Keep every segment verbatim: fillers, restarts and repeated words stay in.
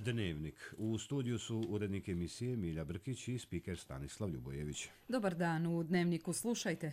Dnevnik. U studiju su urednik emisije Milja Brkić i spiker Stanislav Ljubojević. Dobar dan, u Dnevniku slušajte.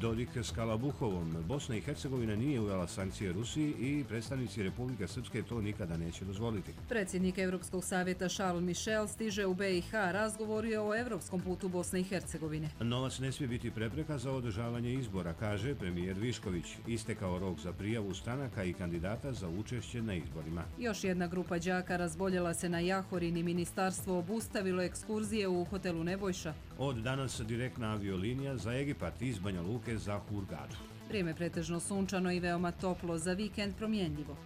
Dodik s Kalabuhovom. Bosna i Hercegovina nije uvela sankcije Rusiji i predstavnici Republike Srpske to nikada neće dozvoliti. Predsjednik Europskog savjeta Charles Michel stiže u B i H, razgovorio o europskom putu Bosne i Hercegovine. Novac ne smije biti prepreka za održavanje izbora, kaže premijer Višković. Istekao rok za prijavu stranaka i kandidata za učešće na izborima. Još jedna grupa đaka razboljela se na Jahorin i ministarstvo obustavilo ekskurzije u hotelu Nebojša. Od danas direktna aviolinija za Egipat iz Banja Luke za Hurgadu. Vrijeme pretežno sunčano i veoma toplo, za vikend promjenljivo.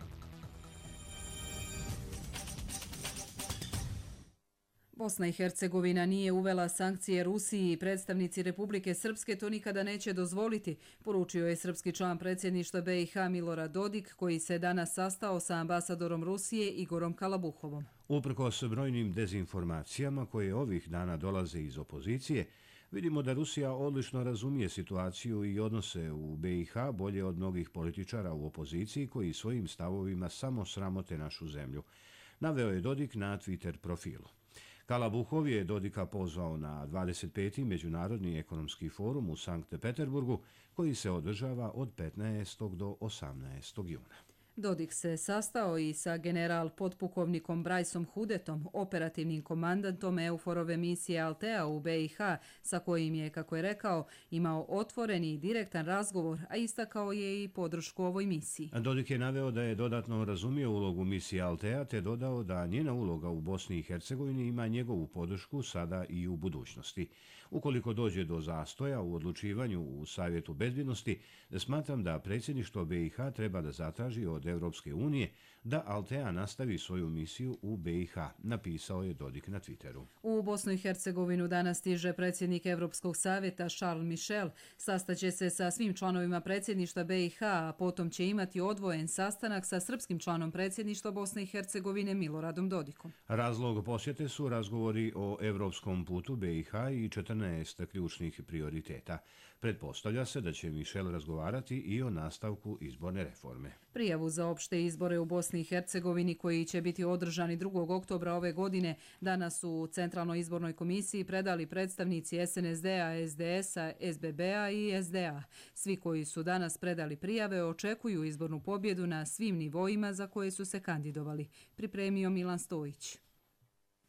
Bosna i Hercegovina nije uvela sankcije Rusiji i predstavnici Republike Srpske to nikada neće dozvoliti, poručio je srpski član predsjedništva B i H Milorad Dodik, koji se danas sastao sa ambasadorom Rusije Igorom Kalabuhovom. Uprkos brojnim dezinformacijama koje ovih dana dolaze iz opozicije, vidimo da Rusija odlično razumije situaciju i odnose u B i H bolje od mnogih političara u opoziciji koji svojim stavovima samo sramote našu zemlju, naveo je Dodik na Twitter profilu. Kalabuhov je Dodika pozvao na dvadeset peti Međunarodni ekonomski forum u Sankt Peterburgu, koji se održava od petnaestog do osamnaestog juna. Dodik se sastao i sa general potpukovnikom Brajsom Hudetom, operativnim komandantom EUFOR-ove misije Altea u B i H, sa kojim je, kako je rekao, imao otvoreni i direktan razgovor, a istakao je i podršku ovoj misiji. Dodik je naveo da je dodatno razumio ulogu misije Altea, te dodao da njena uloga u Bosni i Hercegovini ima njegovu podršku sada i u budućnosti. Ukoliko dođe do zastoja u odlučivanju u Savjetu bezbjednosti, smatram da predsjedništvo B i H treba da zatraži od Evropske unije da Altea nastavi svoju misiju u B i H, napisao je Dodik na Twitteru. U Bosnu i Hercegovinu danas stiže predsjednik Europskog savjeta Charles Michel. Sastaće se sa svim članovima predsjedništva B i H, a potom će imati odvojen sastanak sa srpskim članom predsjedništva Bosne i Hercegovine Miloradom Dodikom. Razlog posjete su razgovori o evropskom putu B i H i četrnaest ključnih prioriteta. Pretpostavlja se da će Michel razgovarati i o nastavku izborne reforme. Prijavu za opšte izbore u Bosni i Hercegovini, koji će biti održani drugog oktobra ove godine, danas u Centralnoj izbornoj komisiji predali predstavnici S N S D-a, S D S-a, S B B-a i S D A. Svi koji su danas predali prijave očekuju izbornu pobjedu na svim nivoima za koje su se kandidovali, pripremio Milan Stojić.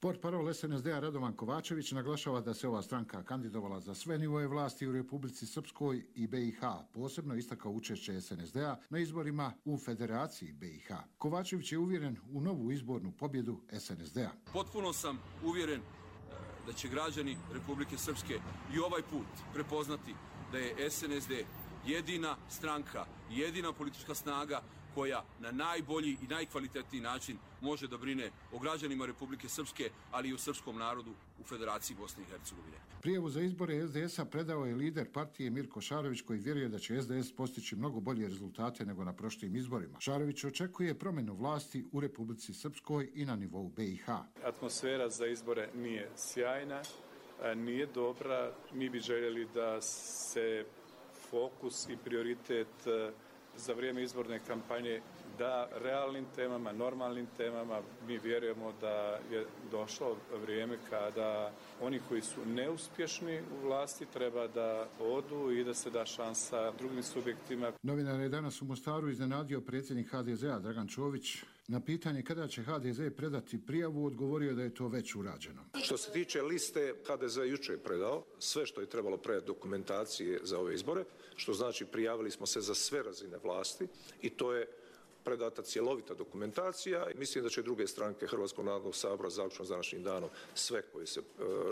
Portparol S N S D-a Radovan Kovačević naglašava da se ova stranka kandidovala za sve nivoje vlasti u Republici Srpskoj i B i H, posebno istakao učešće S N S D-a na izborima u Federaciji B i H. Kovačević je uvjeren u novu izbornu pobjedu S N S D-a. Potpuno sam uvjeren da će građani Republike Srpske i ovaj put prepoznati da je S N S D jedina stranka, jedina politička snaga koja na najbolji i najkvalitetniji način može da brine o građanima Republike Srpske, ali i o srpskom narodu u Federaciji Bosne i Hercegovine. Prijavu za izbore S D S-a predao je lider partije Mirko Šarović, koji vjeruje da će S D S postići mnogo bolje rezultate nego na prošlim izborima. Šarović očekuje promjenu vlasti u Republici Srpskoj i na nivou B i H. Atmosfera za izbore nije sjajna, nije dobra. Mi bi željeli da se fokus i prioritet za vrijeme izborne kampanje da realnim temama, normalnim temama. Mi vjerujemo da je došlo vrijeme kada oni koji su neuspješni u vlasti treba da odu i da se da šansa drugim subjektima. Novinar je danas u Mostaru iznenadio predsjednik H D Z-a Dragan Čović. Na pitanje kada će H D Z predati prijavu, odgovorio da je to već urađeno. Što se tiče liste, H D Z jučer je predao sve što je trebalo predati dokumentacije za ove izbore, što znači prijavili smo se za sve razine vlasti i to je predata cjelovita dokumentacija. Mislim da će druge stranke Hrvatskog narodnog sabora zaključno s današnjim danom sve koje se e,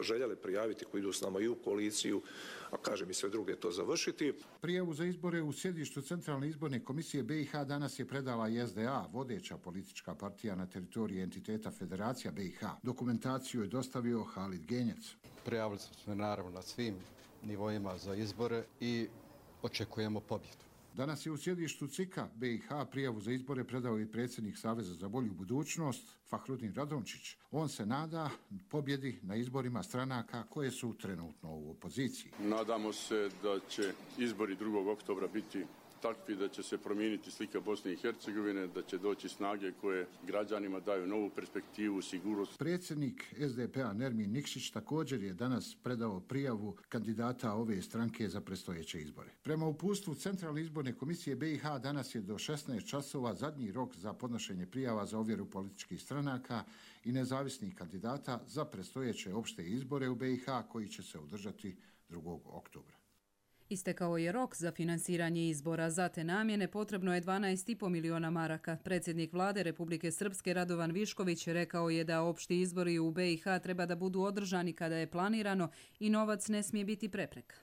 željele prijaviti, koji idu s nama i u koaliciju, a kažem i sve druge to završiti. Prijavu za izbore u sjedištu Centralne izborne komisije B i H danas je predala i S D A, vodeća politička partija na teritoriji entiteta Federacija B i H. Dokumentaciju je dostavio Halid Genjec. Prijavili smo se naravno na svim nivoima za izbore i očekujemo pobjedu. Danas je u sjedištu C I K-a B i H prijavu za izbore predao i predsjednik Saveza za bolju budućnost Fahrudin Radončić. On se nada pobjedi na izborima stranaka koje su trenutno u opoziciji. Nadamo se da će izbori drugog oktobra biti takvi da će se promijeniti slika Bosne i Hercegovine, da će doći snage koje građanima daju novu perspektivu, sigurnost. Predsjednik S D P-a Nermin Nikšić također je danas predao prijavu kandidata ove stranke za predstojeće izbore. Prema uputstvu Centralne izborne komisije B i H danas je do šesnaest časova zadnji rok za podnošenje prijava za ovjeru političkih stranaka i nezavisnih kandidata za predstojeće opšte izbore u B i H koji će se održati drugog oktobra. Istekao je rok za finansiranje izbora. Za te namjene potrebno je dvanaest i po miliona maraka. Predsjednik vlade Republike Srpske Radovan Višković rekao je da opšti izbori u B i H treba da budu održani kada je planirano i novac ne smije biti prepreka.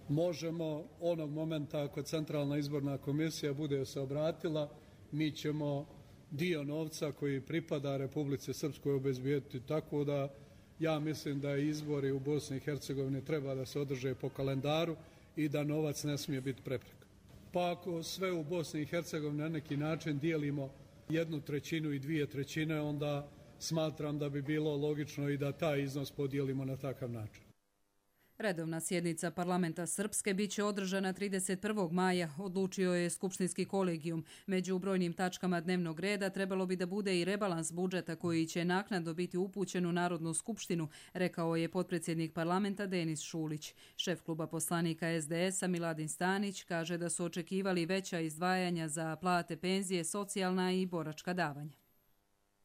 Možemo onog momenta ako Centralna izborna komisija bude se obratila, mi ćemo dio novca koji pripada Republici Srpskoj obezbijediti, tako da ja mislim da izbori u Bosni i Hercegovini treba da se održe po kalendaru i da novac ne smije biti prepreka. Pa ako sve u Bosni i Hercegovini na neki način dijelimo jednu trećinu i dvije trećine, onda smatram da bi bilo logično i da taj iznos podijelimo na takav način. Redovna sjednica parlamenta Srpske biće održana trideset prvog maja, odlučio je Skupštinski kolegijum. Među brojnim tačkama dnevnog reda trebalo bi da bude i rebalans budžeta koji će naknadno biti upućen u Narodnu skupštinu, rekao je potpredsjednik parlamenta Denis Šulić. Šef kluba poslanika S D S-a Miladin Stanić kaže da su očekivali veća izdvajanja za plate, penzije, socijalna i boračka davanja.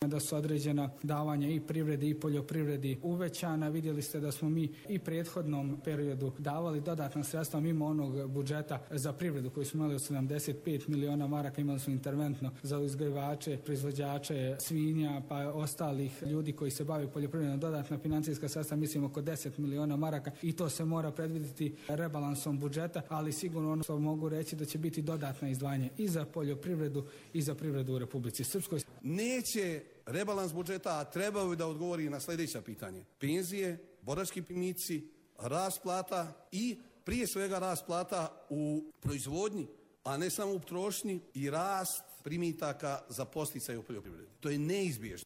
Da su određena davanja i privredi i poljoprivredi uvećana. Vidjeli ste da smo mi i prethodnom periodu davali dodatna sredstva mimo onog budžeta za privredu koji smo imali od sedamdeset pet miliona maraka, imali smo interventno za uzgajivače, proizvođače svinja pa ostalih ljudi koji se bave poljoprivredom, dodatna financijska sredstva, mislim oko deset miliona maraka i to se mora predvidjeti rebalansom budžeta, ali sigurno ono što mogu reći da će biti dodatna izdvajanja i za poljoprivredu i za privredu u Republici Srpskoj. Neće rebalans budžeta, a trebaju da odgovori na sljedeća pitanje. Penzije, borački primici, rast plata i prije svega rast plata u proizvodnji, a ne samo u potrošnji i rast primitaka za podsticaj u poljoprivredi. To je neizbježno.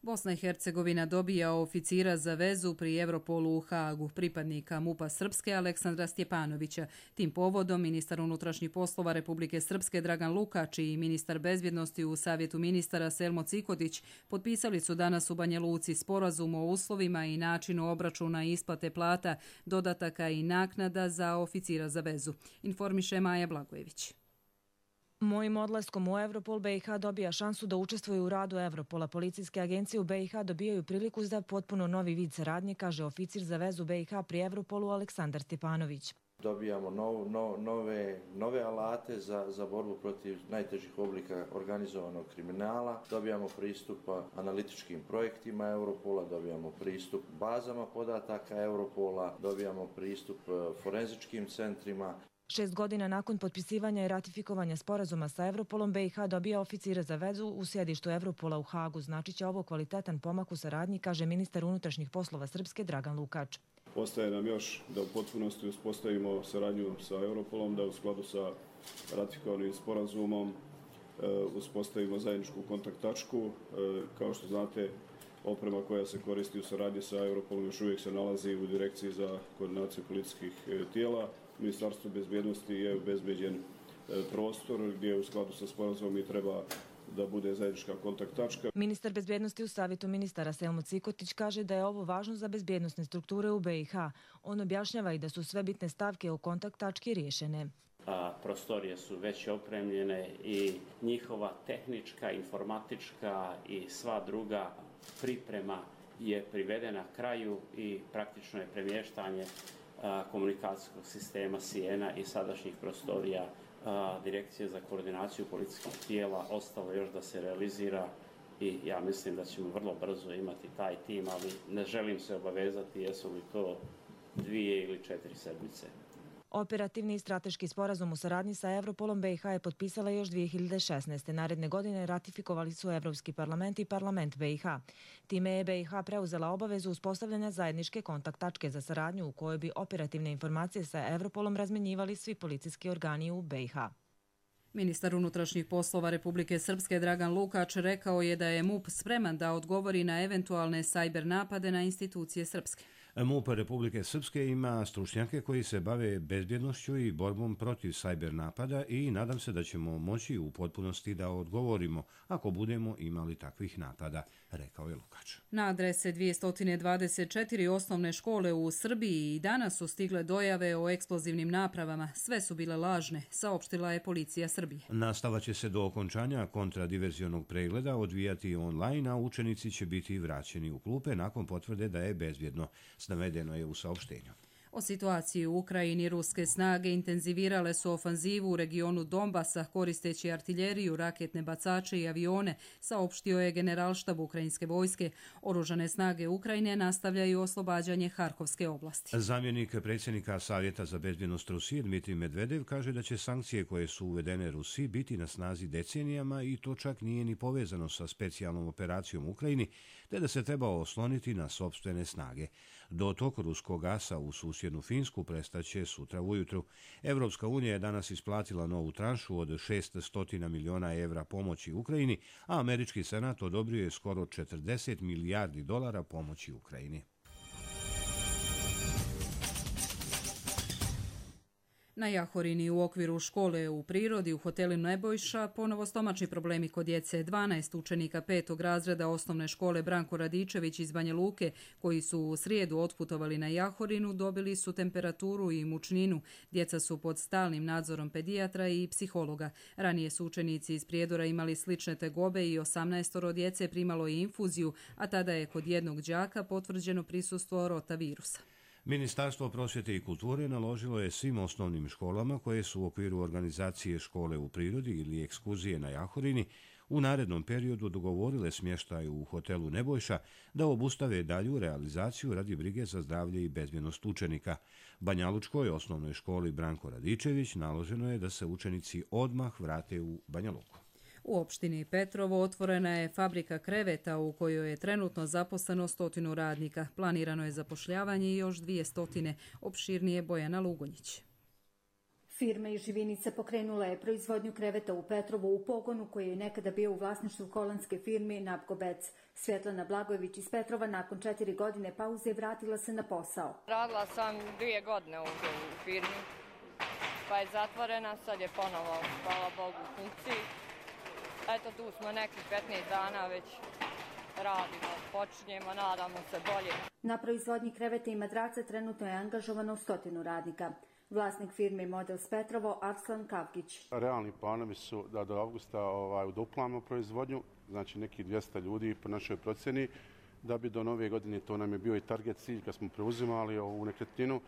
Bosna i Hercegovina dobija oficira za vezu pri Europolu u Hagu, pripadnika MUP-a Srpske Aleksandra Stjepanovića. Tim povodom ministar unutrašnjih poslova Republike Srpske Dragan Lukač i ministar bezbjednosti u Savjetu ministara Selmo Cikotić potpisali su danas u Banja Luci sporazum o uslovima i načinu obračuna i isplate plata, dodataka i naknada za oficira za vezu. Informiše Maja Blagojević. Mojim odlaskom u Europol B i H dobija šansu da učestvuje u radu Europola. Policijske agencije u B i H dobijaju priliku za potpuno novi vid saradnje, kaže oficir za vezu B i H pri Europolu Aleksandar Stjepanović. Dobijamo nov, no, nove, nove alate za, za borbu protiv najtežih oblika organizovanog kriminala, dobijamo pristup analitičkim projektima Europola, dobijamo pristup bazama podataka Europola, dobijamo pristup forenzičkim centrima. Šest godina nakon potpisivanja i ratifikovanja sporazuma sa Europolom, B i H dobija oficire za vezu u sjedištu Europola u Hagu. Znači će ovo kvalitetan pomak u saradnji, kaže ministar unutrašnjih poslova Srpske Dragan Lukač. Ostaje nam još da u potpunosti uspostavimo saradnju sa Europolom, da u skladu sa ratifikovanim sporazumom uspostavimo zajedničku kontakt tačku. Kao što znate, oprema koja se koristi u saradnji sa Europolom još uvijek se nalazi u Direkciji za koordinaciju policijskih tijela. Ministarstvo bezbjednosti je obezbeđen prostor gdje u skladu sa sporazumom i treba da bude zajednička kontakt tačka. Ministar bezbjednosti u Savjetu ministara Selmo Cikotić kaže da je ovo važno za bezbjednosne strukture u B i H. On objašnjava i da su sve bitne stavke u kontakt tački riješene. A, prostorije su već opremljene i njihova tehnička, informatička i sva druga priprema je privedena kraju i praktično je premještanje komunikacijskog sistema Sijena i sadašnjih prostorija Direkcije za koordinaciju policijskih tijela ostalo još da se realizira i ja mislim da ćemo vrlo brzo imati taj tim, ali ne želim se obavezati jesu li to dvije ili četiri sedmice. Operativni i strateški sporazum u saradnji sa Europolom B i H je potpisala još dvije hiljade šesnaeste. Naredne godine ratifikovali su Evropski parlament i parlament B i H. Time je B i H preuzela obavezu uspostavljanja zajedničke kontakt tačke za saradnju u kojoj bi operativne informacije sa Europolom razmenjivali svi policijski organi u B i H. Ministar unutrašnjih poslova Republike Srpske Dragan Lukač rekao je da je M U P spreman da odgovori na eventualne sajber napade na institucije Srpske. M U P Republike Srpske ima stručnjake koji se bave bezbjednošću i borbom protiv sajber napada i nadam se da ćemo moći u potpunosti da odgovorimo ako budemo imali takvih napada, rekao je Lukač. Na adrese dvjesto dvadeset četiri osnovne škole u Srbiji i danas su stigle dojave o eksplozivnim napravama. Sve su bile lažne, saopštila je policija Srbije. Nastava će se do okončanja kontradiverzionog pregleda odvijati online, a učenici će biti vraćeni u klupe nakon potvrde da je bezbjedno. Navedeno je u saopštenju. O situaciji u Ukrajini ruske snage intenzivirale su ofanzivu u regionu Donbasa koristeći artiljeriju, raketne bacače i avione, saopštio je generalštab ukrajinske vojske. Oružane snage Ukrajine nastavljaju oslobađanje Harkovske oblasti. Zamjenik predsjednika Savjeta za bezbjednost Rusije Dmitrij Medvedev kaže da će sankcije koje su uvedene Rusiji biti na snazi decenijama i to čak nije ni povezano sa specijalnom operacijom u Ukrajini, te da se treba osloniti na sopstvene snage. Dotok ruskog gasa u susjednu Finsku prestaće sutra ujutru. Evropska unija je danas isplatila novu tranšu od šessto miliona evra pomoći Ukrajini, a američki senat odobrio je skoro četrdeset milijardi dolara pomoći Ukrajini. Na Jahorini u okviru škole u prirodi u hotelu Nebojša ponovo stomačni problemi kod djece. dvanaest učenika petog razreda osnovne škole Branko Radičević iz Banja Luke, koji su u srijedu otputovali na Jahorinu, dobili su temperaturu i mučninu. Djeca su pod stalnim nadzorom pedijatra i psihologa. Ranije su učenici iz Prijedora imali slične tegobe i osamnaestoro djece primalo i infuziju, a tada je kod jednog đaka potvrđeno prisustvo rotavirusa. Ministarstvo prosvjete i kulture naložilo je svim osnovnim školama koje su u okviru organizacije škole u prirodi ili ekskurzije na Jahorini u narednom periodu dogovorile smještaj u hotelu Nebojša da obustave dalju realizaciju radi brige za zdravlje i bezbjednost učenika. Banjalučkoj osnovnoj školi Branko Radičević naloženo je da se učenici odmah vrate u Banja Luku. U opštini Petrovo otvorena je fabrika kreveta u kojoj je trenutno zaposleno stotinu radnika. Planirano je zapošljavanje i još dvije stotine, opširnije Bojana Lugonjić. Firma iz Živinica pokrenula je proizvodnju kreveta u Petrovu u pogonu koji je nekada bio u vlasništvu holandske firme Napgobec. Svetlana Blagojević iz Petrova nakon četiri godine pauze vratila se na posao. Radila sam dvije godine u firmi, pa je zatvorena, sad je ponovo, hvala Bogu, u funkciji. Eto, tu smo nekih petnaest dana već radimo, počinjemo, nadamo se bolje. Na proizvodnji kreveta i madraca trenutno je angažovano stotinu radnika. Vlasnik firme Models Petrovo, Arslan Kavkić. Realni planovi su da do avgusta ovaj, uduplamo proizvodnju, znači nekih dvjesto ljudi po našoj procjeni, da bi do nove godine, to nam je bio i target cilj kad smo preuzimali ovu nekretninu,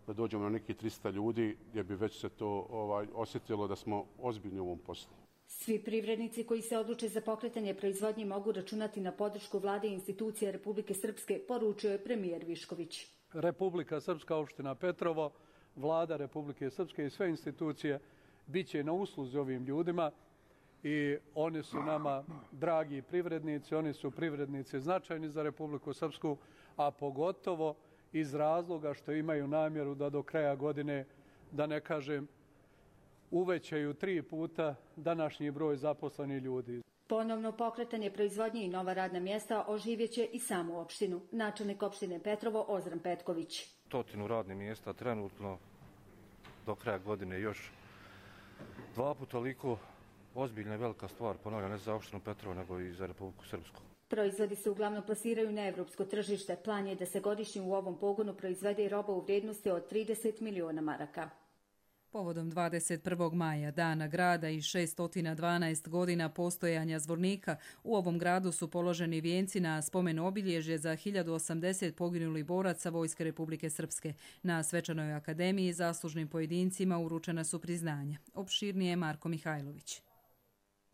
da dođemo na nekih tristo ljudi gdje bi već se to ovaj, osjetilo da smo ozbiljni u ovom poslu. Svi privrednici koji se odluče za pokretanje proizvodnje mogu računati na podršku vlade i institucije Republike Srpske, poručio je premijer Višković. Republika Srpska, opština Petrovo, vlada Republike Srpske i sve institucije bit će na usluzi ovim ljudima i oni su nama dragi privrednici, oni su privrednici značajni za Republiku Srpsku, a pogotovo iz razloga što imaju namjeru da do kraja godine, da ne kažem, uvećaju tri puta današnji broj zaposlenih ljudi. Ponovno pokretanje proizvodnje i nova radna mjesta oživjeće i samu opštinu. Načelnik opštine Petrovo Ozran Petković. Stotinu radnih mjesta trenutno, do kraja godine još dva puta toliko, ozbiljna i velika stvar, ponavljam, ne za opštinu Petrovo nego i za Republiku Srpsku. Proizvodi se uglavnom plasiraju na evropsko tržište. Plan je da se godišnje u ovom pogonu proizvede i roba u vrijednosti od trideset miliona maraka. Povodom dvadeset prvog maja, dana grada i šesto dvanaest godina postojanja Zvornika, u ovom gradu su položeni vijenci na spomen obilježje za hiljadu osamdeset poginulih boraca Vojske Republike Srpske. Na Svečanoj akademiji zaslužnim pojedincima uručena su priznanja. Opširnije Marko Mihajlović.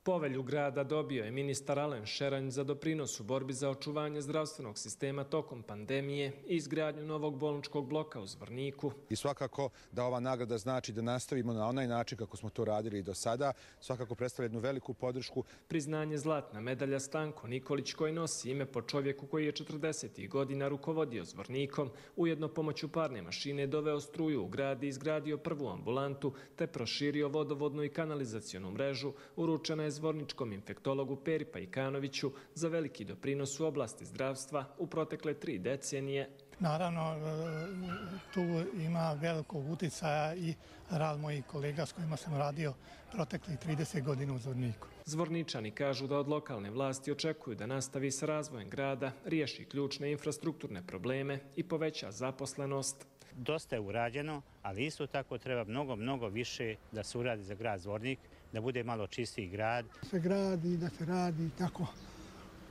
Povelju grada dobio je ministar Alen Šeranj za doprinos u borbi za očuvanje zdravstvenog sistema tokom pandemije i izgradnju novog bolničkog bloka u Zvorniku. I svakako da ova nagrada znači da nastavimo na onaj način kako smo to radili i do sada. Svakako predstavlja jednu veliku podršku. Priznanje zlatna medalja Stanko Nikolić koji nosi ime po čovjeku koji je četrdesetih godina rukovodio Zvornikom, ujedno pomoću parne mašine doveo struju u grad i izgradio prvu ambulantu te proširio vodovodnu i kanalizacionu mrežu, uručena je zvorničkom infektologu Peri Pajkanoviću za veliki doprinos u oblasti zdravstva u protekle tri decenije. Naravno, tu ima velikog uticaja i rad mojih kolega s kojima sam radio proteklih trideset godina u Zvorniku. Zvorničani kažu da od lokalne vlasti očekuju da nastavi sa razvojem grada, riješi ključne infrastrukturne probleme i poveća zaposlenost. Dosta je urađeno, ali isto tako treba mnogo, mnogo više da se uradi za grad Zvornik, da bude malo čistiji grad. Se gradi, da se radi tako,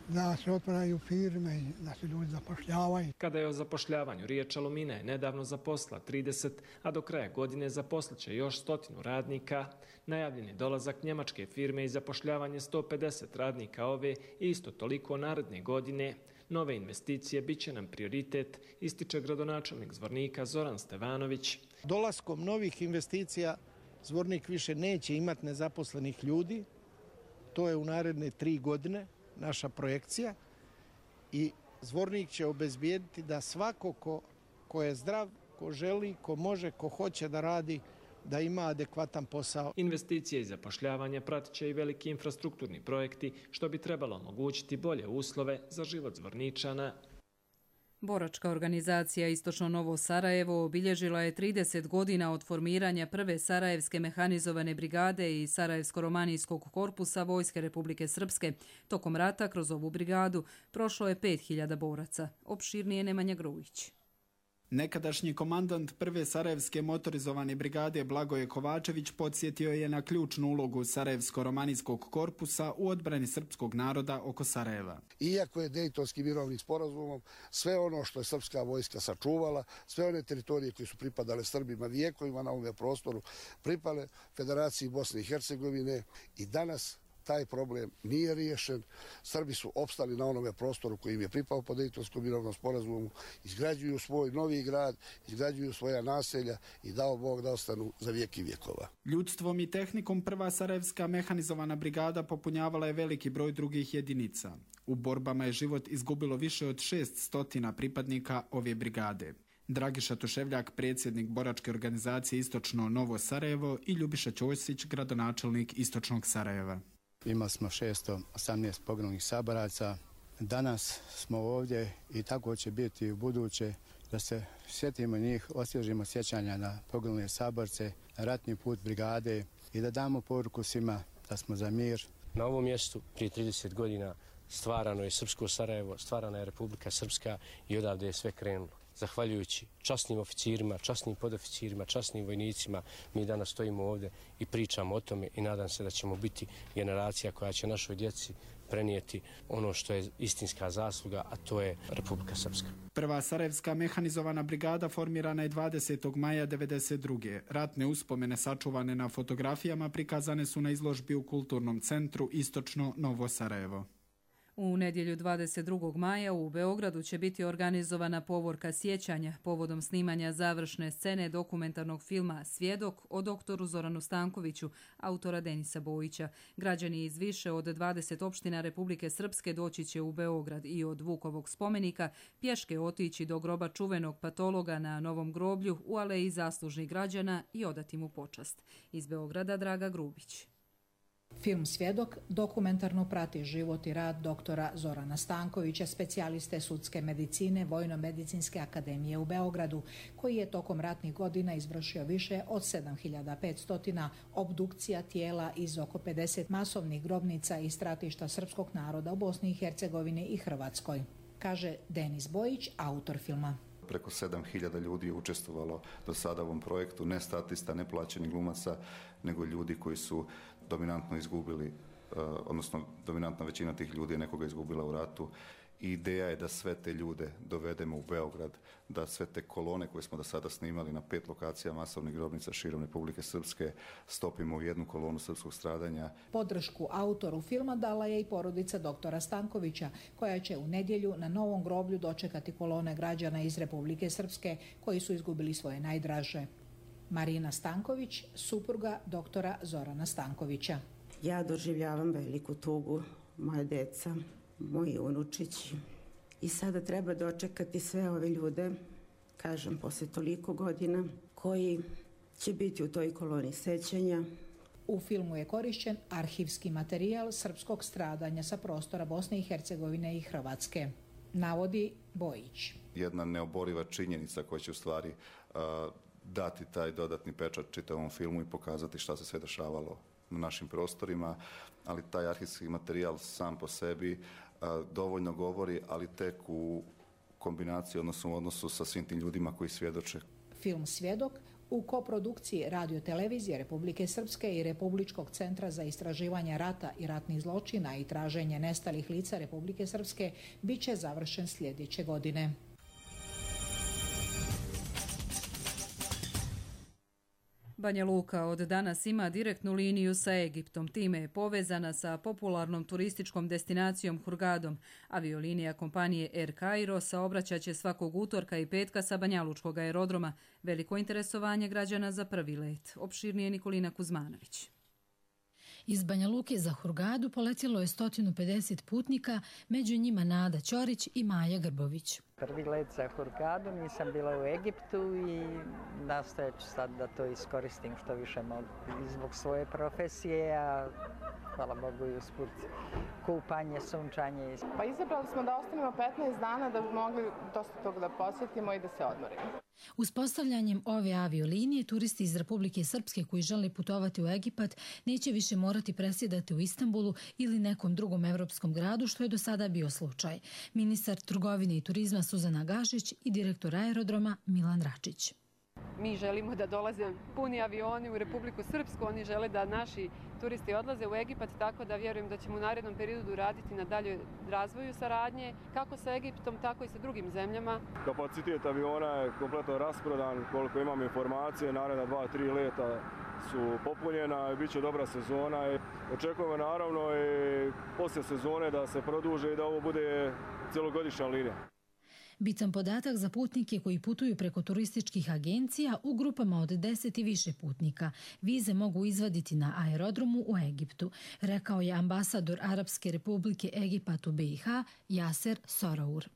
da se otvaraju firme i da se ljudi zapošljavaju. Kada je o zapošljavanju riječ, Alumina je nedavno zaposlila trideset, a do kraja godine zaposliće još stotinu radnika. Najavljen je dolazak njemačke firme i zapošljavanje sto pedeset radnika ove i isto toliko naredne godine. Nove investicije bit će nam prioritet, ističe gradonačelnik Zvornika Zoran Stevanović. Dolaskom novih investicija Zvornik više neće imati nezaposlenih ljudi. To je u naredne tri godine naša projekcija i Zvornik će obezbijediti da svako ko, ko je zdrav, ko želi, ko može, ko hoće da radi, da ima adekvatan posao. Investicije i zapošljavanje pratit će i veliki infrastrukturni projekti, što bi trebalo omogućiti bolje uslove za život Zvorničana. Boračka organizacija Istočno Novo Sarajevo obilježila je trideset godina od formiranja prve Sarajevske mehanizovane brigade i Sarajevsko-romanijskog korpusa Vojske Republike Srpske. Tokom rata kroz ovu brigadu prošlo je pet hiljada boraca. Opširnije Nemanja Grujić. Nekadašnji komandant prve Sarajevske motorizovane brigade Blagoje Kovačević podsjetio je na ključnu ulogu Sarajevsko-romanijskog korpusa u odbrani srpskog naroda oko Sarajeva. Iako je Dejtonski mirovni sporazumom sve ono što je srpska vojska sačuvala, sve one teritorije koje su pripadale Srbima vijekovima na ovom prostoru, pripale Federaciji Bosne i Hercegovine i danas taj problem nije riješen. Srbi su opstali na onome prostoru koji im je pripao po Dejtonskom mirovnom sporazumu, izgrađuju svoj novi grad, izgrađuju svoja naselja i dao Bog da ostanu za vijek i vjekova. Ljudstvom i tehnikom prva Sarajevska mehanizovana brigada popunjavala je veliki broj drugih jedinica. U borbama je život izgubilo više od šest stotina pripadnika ove brigade. Dragiša Tuševljak, predsjednik boračke organizacije Istočno Novo Sarajevo i Ljubiša Ćosić, gradonačelnik Istočnog Sarajeva. Imali smo šesto osamnaest poginulih saboraca. Danas smo ovdje i tako će biti u buduće da se sjetimo njih, osvježimo sjećanja na poginule saborce, na ratni put brigade i da damo poruku svima da smo za mir. Na ovom mjestu prije trideset godina stvarano je Srpsko Sarajevo, stvarana je Republika Srpska i odavde je sve krenulo. Zahvaljujući časnim oficirima, časnim podoficirima, časnim vojnicima, mi danas stojimo ovdje i pričamo o tome i nadam se da ćemo biti generacija koja će našoj djeci prenijeti ono što je istinska zasluga, a to je Republika Srpska. Prva Sarajevska mehanizovana brigada formirana je dvadesetog maja devedeset druge. Ratne uspomene sačuvane na fotografijama prikazane su na izložbi u Kulturnom centru Istočno Novo Sarajevo. U nedjelju dvadeset drugog maja u Beogradu će biti organizovana povorka sjećanja povodom snimanja završne scene dokumentarnog filma Svjedok o doktoru Zoranu Stankoviću, autora Denisa Bojića. Građani iz više od dvadeset opština Republike Srpske doći će u Beograd i od Vukovog spomenika pješke otići do groba čuvenog patologa na Novom groblju u aleji zaslužnih građana i odati mu počast. Iz Beograda Draga Grubić. Film Svjedok dokumentarno prati život i rad doktora Zorana Stankovića, specijaliste sudske medicine Vojno-medicinske akademije u Beogradu, koji je tokom ratnih godina izvršio više od sedam hiljada petsto obdukcija tijela iz oko pedeset masovnih grobnica i stratišta srpskog naroda u Bosni i Hercegovini i Hrvatskoj, kaže Denis Bojić, autor filma. Preko sedam hiljada ljudi je učestvovalo do sada u ovom projektu, ne statista, ne plaćenih glumaca, nego ljudi koji su dominantno izgubili uh, odnosno dominantna većina tih ljudi je nekoga izgubila u ratu. I ideja je da sve te ljude dovedemo u Beograd, da sve te kolone koje smo do sada snimali na pet lokacija masovnih grobnica širom Republike Srpske stopimo u jednu kolonu srpskog stradanja. Podršku autoru filma dala je i porodica doktora Stankovića, koja će u nedjelju na Novom groblju dočekati kolone građana iz Republike Srpske koji su izgubili svoje najdraže. Marina Stanković, supruga doktora Zorana Stankovića. Ja doživljavam veliku tugu, moje deca, moji unučići. I sada treba dočekati sve ove ljude, kažem, posle toliko godina, koji će biti u toj koloni sećanja. U filmu je korišćen arhivski materijal srpskog stradanja sa prostora Bosne i Hercegovine i Hrvatske, navodi Bojić. Jedna neoboriva činjenica koja će u stvari uh, dati taj dodatni pečat čitavom filmu i pokazati šta se sve dešavalo na našim prostorima, ali taj arhivski materijal sam po sebi a, dovoljno govori, ali tek u kombinaciji, odnosno u odnosu sa svim tim ljudima koji svjedoče. Film Svjedok u koprodukciji Radio-televizije Republike Srpske i Republičkog centra za istraživanje rata i ratnih zločina i traženje nestalih lica Republike Srpske bit će završen sljedeće godine. Banja Luka od danas ima direktnu liniju sa Egiptom. Time je povezana sa popularnom turističkom destinacijom Hurgadom. Aviolinija kompanije Air Cairo saobraćat će svakog utorka i petka sa banjalučkog aerodroma. Veliko interesovanje građana za prvi let. Opširnije Nikolina Kuzmanović. Iz Banja Luke za Hurgadu poletjelo je sto pedeset putnika, među njima Nada Ćorić i Maja Grbović. Prvi let za Hurgadu, nisam bila u Egiptu i nastojat ću sad da to iskoristim što više mogu i zbog svoje profesije, a hvala Bogu i usput kupanje, sunčanje. Pa izabrali smo da ostanemo petnaest dana da bi mogli dosta toga da posjetimo i da se odmorimo. Uspostavljanjem ove aviolinije, turisti iz Republike Srpske koji žele putovati u Egipat neće više morati presjedati u Istanbulu ili nekom drugom evropskom gradu, što je do sada bio slučaj. Ministar trgovine i turizma Suzana Gašić i direktor aerodroma Milan Račić. Mi želimo da dolaze puni avioni u Republiku Srpsku, oni žele da naši turisti odlaze u Egipat, tako da vjerujem da ćemo u narednom periodu raditi na daljoj razvoju saradnje, kako sa Egiptom, tako i sa drugim zemljama. Kapacitet aviona je kompletno rasprodan, koliko imam informacije, naredna dva, tri leta su popunjena i bit će dobra sezona. Očekujemo naravno i poslije sezone da se produže i da ovo bude cjelogodišnja linija. Bitan podatak za putnike koji putuju preko turističkih agencija u grupama od deset i više putnika. Vize mogu izvaditi na aerodromu u Egiptu, rekao je ambasador Arapske republike Egipat u B i H Jaser Soraur.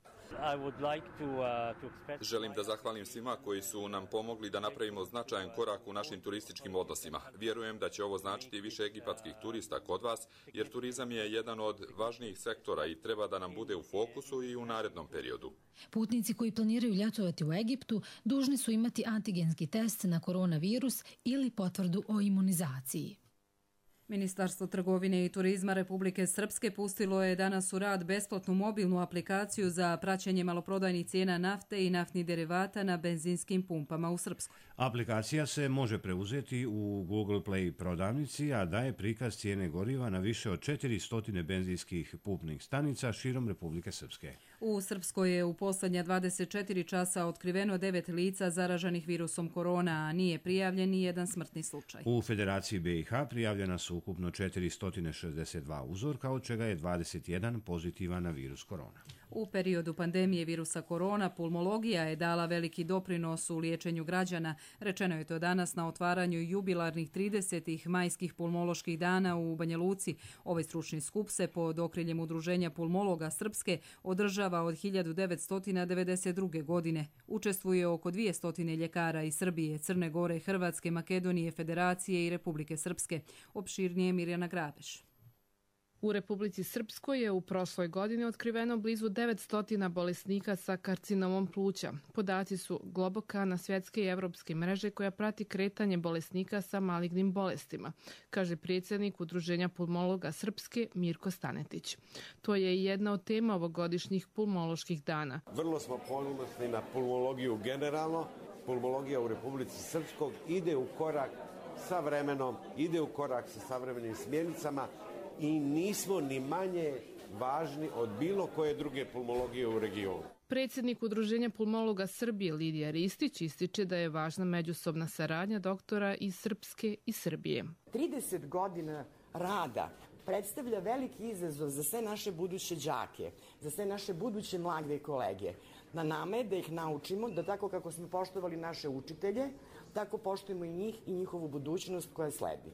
Želim da zahvalim svima koji su nam pomogli da napravimo značajan korak u našim turističkim odnosima. Vjerujem da će ovo značiti više egipatskih turista kod vas, jer turizam je jedan od važnijih sektora i treba da nam bude u fokusu i u narednom periodu. Putnici koji planiraju ljetovati u Egiptu dužni su imati antigenski test na koronavirus ili potvrdu o imunizaciji. Ministarstvo trgovine i turizma Republike Srpske pustilo je danas u rad besplatnu mobilnu aplikaciju za praćenje maloprodajnih cijena nafte i naftnih derivata na benzinskim pumpama u Srpskoj. Aplikacija se može preuzeti u Google Play prodavnici, a daje prikaz cijene goriva na više od četiristo benzinskih pumpnih stanica širom Republike Srpske. U Srpskoj je u posljednja dvadeset četiri časa otkriveno devet lica zaraženih virusom korona, a nije prijavljen ni jedan smrtni slučaj. U Federaciji B i H prijavljena su ukupno četiristo šezdeset dva uzorka, od čega je dvadeset jedan pozitivan na virus korona. U periodu pandemije virusa korona, pulmologija je dala veliki doprinos u liječenju građana. Rečeno je to danas na otvaranju jubilarnih tridesetih majskih pulmoloških dana u Banja Luci. Ovaj stručni skup se pod okriljem Udruženja pulmologa Srpske održava od hiljadu devetsto devedeset druge. godine. Učestvuje oko dvjesto ljekara iz Srbije, Crne Gore, Hrvatske, Makedonije, Federacije i Republike Srpske. Opširnije Mirjana Grabeš. U Republici Srpskoj je u prošloj godini otkriveno blizu devetsto bolesnika sa karcinomom pluća. Podaci su Globokana, svjetske i evropske mreže koja prati kretanje bolesnika sa malignim bolestima, kaže predsjednik Udruženja pulmologa Srpske Mirko Stanetić. To je i jedna od tema ovogodišnjih pulmoloških dana. Vrlo smo ponosni na pulmologiju generalno. Pulmologija u Republici Srpskoj ide u korak sa vremenom, ide u korak sa savremenim smjernicama i nismo ni manje važni od bilo koje druge pulmologije u regionu. Predsjednik Udruženja pulmologa Srbije Lidija Ristić ističe da je važna međusobna saradnja doktora iz Srpske i Srbije. trideset godina rada predstavlja veliki izazov za sve naše buduće đake, za sve naše buduće mlade kolege. Na nama je da ih naučimo da tako kako smo poštovali naše učitelje, tako poštujemo i njih i njihovu budućnost koja sledi.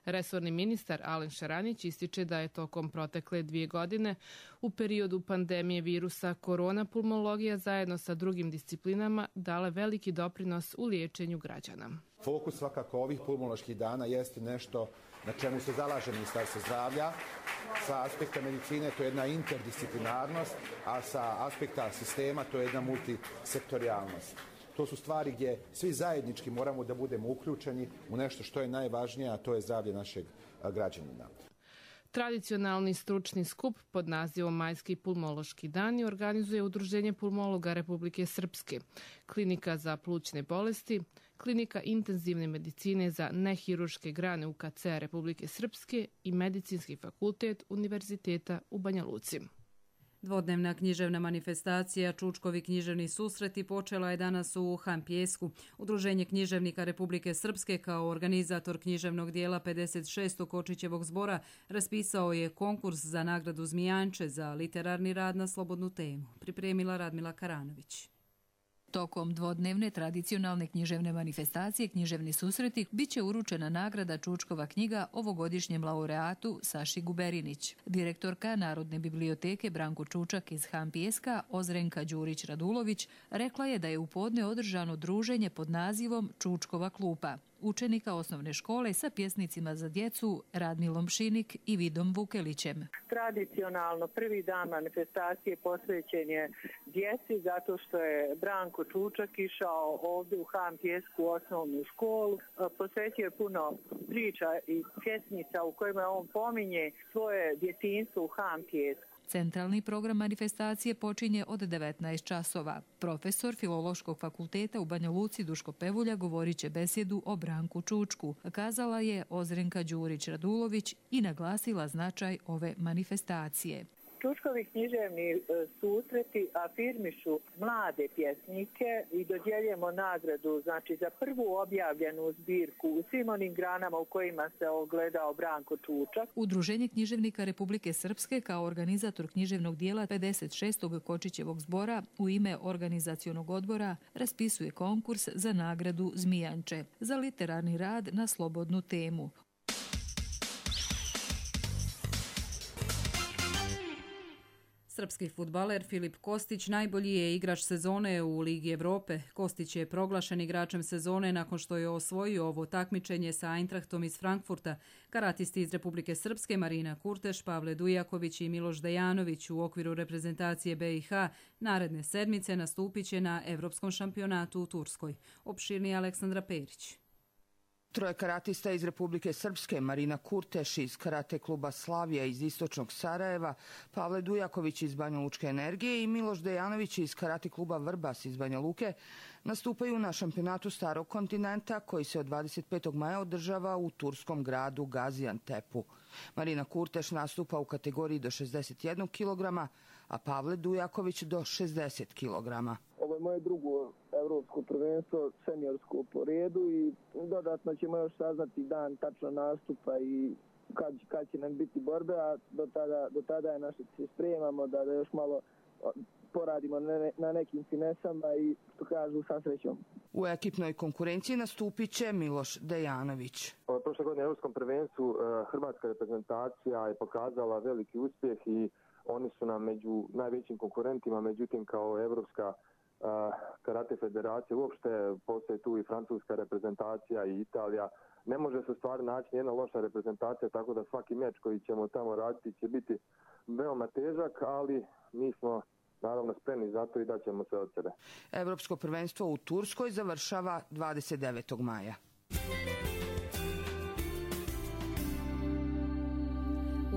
Resorni ministar Alen Šaranić ističe da je tokom protekle dvije godine u periodu pandemije virusa korona pulmologija zajedno sa drugim disciplinama dala veliki doprinos u liječenju građana. Fokus svakako ovih pulmoloških dana jeste nešto na čemu se zalaže Ministarstvo zdravlja. Sa aspekta medicine to je jedna interdisciplinarnost, a sa aspekta sistema to je jedna multisektorijalnost. To su stvari gdje svi zajednički moramo da budemo uključeni u nešto što je najvažnije, a to je zdravlje našeg građanina. Tradicionalni stručni skup pod nazivom Majski pulmološki dani organizuje Udruženje pulmologa Republike Srpske, Klinika za plućne bolesti, Klinika intenzivne medicine za nehiruške grane U K C Republike Srpske i Medicinski fakultet Univerziteta u Banja Luci. Dvodnevna književna manifestacija Čučkovi književni susreti počela je danas u Hampijesku. Udruženje književnika Republike Srpske kao organizator književnog dijela pedeset šestog Kočićevog zbora raspisao je konkurs za nagradu Zmijanče za literarni rad na slobodnu temu. Pripremila Radmila Karanović. Tokom dvodnevne tradicionalne književne manifestacije Književni susreti biće uručena nagrada Čučkova knjiga ovogodišnjem laureatu Saši Guberinić. Direktorka Narodne biblioteke Branko Čučak iz Hampijeska Ozrenka Đurić-Radulović rekla je da je u podne održano druženje pod nazivom Čučkova klupa učenika osnovne škole sa pjesnicima za djecu Radmilom Šinik i Vidom Vukelićem. Tradicionalno prvi dan manifestacije posvećen je djeci zato što je Branko Čučak išao ovdje u Hampijesku osnovnu školu. Posvećio je puno priča i pjesnica u kojima on pominje svoje djetinjstvo u Hampijesku. Centralni program manifestacije počinje od devetnaest časova. Profesor Filološkog fakulteta u Banja Luci Duško Pevulja govorit će besjedu o Branku Čučku, kazala je Ozrenka Đurić-Radulović i naglasila značaj ove manifestacije. Čučkovi književni susreti afirmišu mlade pjesnike i dodjeljujemo nagradu znači, za prvu objavljenu zbirku u svim onim granama u kojima se ogledao Branko Čučak. Udruženje književnika Republike Srpske kao organizator književnog dijela pedeset šestog Kočićevog zbora u ime organizacionog odbora raspisuje konkurs za nagradu Zmijanče za literarni rad na slobodnu temu. Srpski fudbaler Filip Kostić najbolji je igrač sezone u Ligi Evrope. Kostić je proglašen igračem sezone nakon što je osvojio ovo takmičenje sa Eintrachtom iz Frankfurta. Karatisti iz Republike Srpske Marina Kurteš, Pavle Dujaković i Miloš Dejanović u okviru reprezentacije B i H naredne sedmice nastupit će na Evropskom šampionatu u Turskoj. Opširni Aleksandra Perić. Troje karatista iz Republike Srpske, Marina Kurteš iz karate kluba Slavija iz istočnog Sarajeva, Pavle Dujaković iz Banja Lučke energije i Miloš Dejanović iz karate kluba Vrbas iz Banja Luke nastupaju na šampionatu Starog kontinenta koji se od dvadeset petog maja održava u turskom gradu Gaziantepu. Marina Kurteš nastupa u kategoriji do šezdeset jednog kilograma, a Pavle Dujaković do šezdeset kilograma. Ovo je moje drugo evropsko prvenstvo, seniorsko po redu i dodatno ćemo još saznati dan tačno nastupa i kad, kad će nam biti borbe, a do tada, do tada je naše se spremamo da, da još malo poradimo na, na nekim finesama i što kažu sa srećom. U ekipnoj konkurenciji nastupit će Miloš Dejanović. Prošle godine u Evropskom prvenstvu hrvatska reprezentacija je pokazala veliki uspjeh i oni su nam među najvećim konkurentima, međutim kao Evropska karate federacija, uopšte postoji tu i francuska reprezentacija i Italija. Ne može se stvari naći jedna loša reprezentacija, tako da svaki meč koji ćemo tamo raditi će biti veoma težak, ali mi smo naravno spremni za to i daćemo sve od sebe. Evropsko prvenstvo u Turskoj završava dvadeset devetog maja.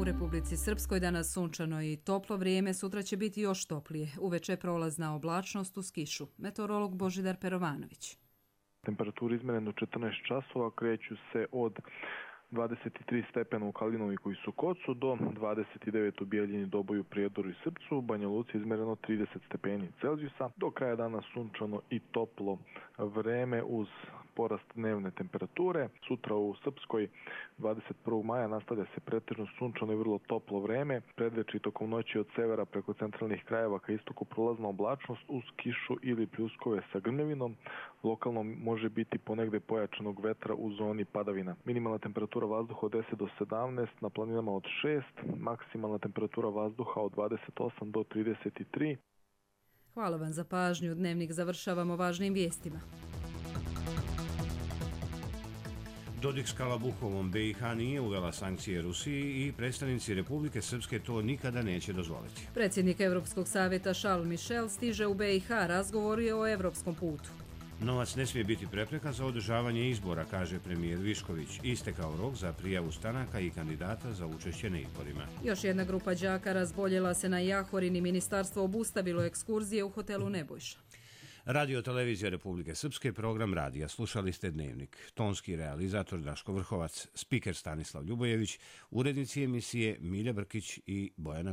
U Republici Srpskoj danas sunčano i toplo vrijeme, sutra će biti još toplije. Uveče prolazna oblačnost uz kišu. Meteorolog Božidar Perovanović. Temperature izmjene do četrnaest časova kreću se od dvadeset tri stepena u Kalinoviku i Sokocu, do dvadeset devet u Bijeljini, Doboju, Prijedoru i Srpcu. U Banja Luci izmereno trideset stepeni Celzijusa. Do kraja dana sunčano i toplo vreme uz porast dnevne temperature. Sutra u Srpskoj dvadeset prvog maja nastavlja se pretežno sunčano i vrlo toplo vreme. Predveče i tokom noći od severa preko centralnih krajeva ka istoku prolazna oblačnost uz kišu ili pljuskove sa grmljavinom. Lokalno može biti ponegde pojačanog vetra u zoni padavina. Minimalna temperatura vazduha od deset do sedamnaest, na planinama od šest, maksimalna temperatura vazduha od dvadeset osam do trideset tri. Hvala vam za pažnju. Dnevnik završavamo važnim vijestima. Dodik s Kalabuhovom be i ha nije uvela sankcije Rusiji i predstavnici Republike Srpske to nikada neće dozvoliti. Predsjednik Evropskog savjeta Charles Michel stiže u be i ha, razgovor je o evropskom putu. Novac ne smije biti prepreka za održavanje izbora, kaže premijer Višković. Istekao rok za prijavu stranaka i kandidata za učešće na izborima. Još jedna grupa đaka razboljela se na Jahorin i ministarstvo obustavilo ekskurzije u hotelu Nebojša. Radio televizija Republike Srpske, program radija. Slušali ste Dnevnik. Tonski realizator Daško Vrhovac, spiker Stanislav Ljubojević, urednici emisije Milja Brkić i Bojana Gljić.